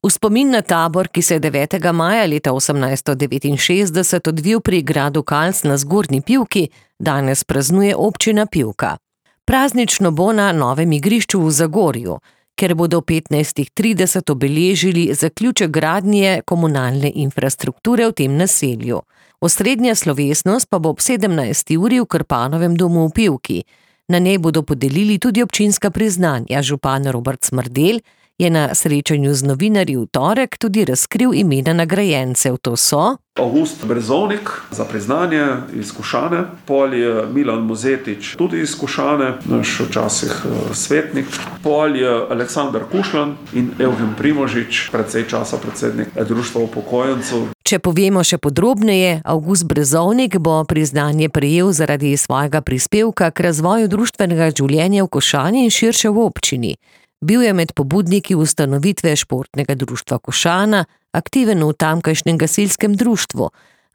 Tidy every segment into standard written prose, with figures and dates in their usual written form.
V spomin na tabor, ki se je 9. maja leta 1869 odvil pri gradu Kalc na Zgornji Pivki, danes praznuje občina Pivka. Praznično bo na novem igrišču v Zagorju, ker bodo 15:30 obeležili zaključek gradnje komunalne infrastrukture v tem naselju. Osrednja slovesnost pa bo ob 17. uri v Krpanovem domu v Pivki. Na njej bodo podelili tudi občinska priznanja. Župan Robert Smrdelj je na srečanju z novinarji v torek tudi razkril imena nagrajencev. To so August Brezovnik za priznanje iz Košane, pol je Milan Mozetič tudi iz Košane, naš včasih svetnik, pol je Aleksandar Kušlan in Evgen Primožič, precej časa predsednik Društva upokojencev. Če povemo še podrobneje, August Brezovnik bo priznanje prejel zaradi svojega prispevka k razvoju društvenega življenja v Košani in širše v občini. Bil je med pobudniki ustanovitve športnega društva Košana, aktiven v tamkajšnjem gasilskem društvu.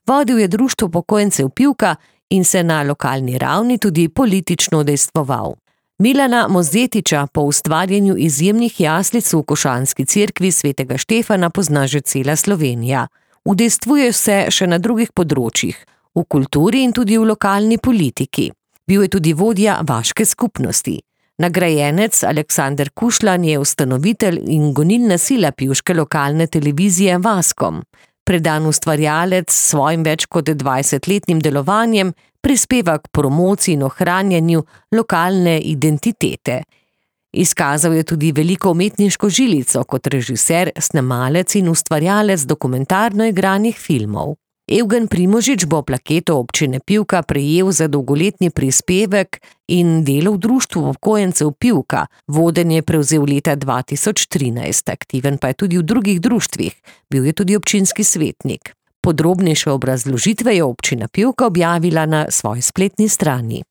Vodil je društvo upokojencev Pivka in se na lokalni ravni tudi politično udejstvoval. Milana Mozetiča po ustvarjanju izjemnih jaslic v košanski cerkvi svetega Štefana pozna že cela Slovenija. Udejstvuje se še na drugih področjih, v kulturi in tudi v lokalni politiki. Bil je tudi vodja vaške skupnosti. Nagrajenec Aleksander Kušlan je ustanovitelj in gonilna sila pivške lokalne televizije Vaskom. Predan ustvarjalec s svojim več kot 20-letnim delovanjem prispeva k promociji in ohranjanju lokalne identitete. Izkazal je tudi veliko umetniško žilico kot režiser, snemalec in ustvarjalec dokumentarno igranih filmov. Evgen Primožič bo plaketo občine Pivka prejel za dolgoletni prispevek in delo v društvu upokojencev Pivka. Vodenje je prevzel leta 2013, aktiven pa je tudi v drugih društvih. Bil je tudi občinski svetnik. Podrobnejše obrazložitve je občina Pivka objavila na svoji spletni strani.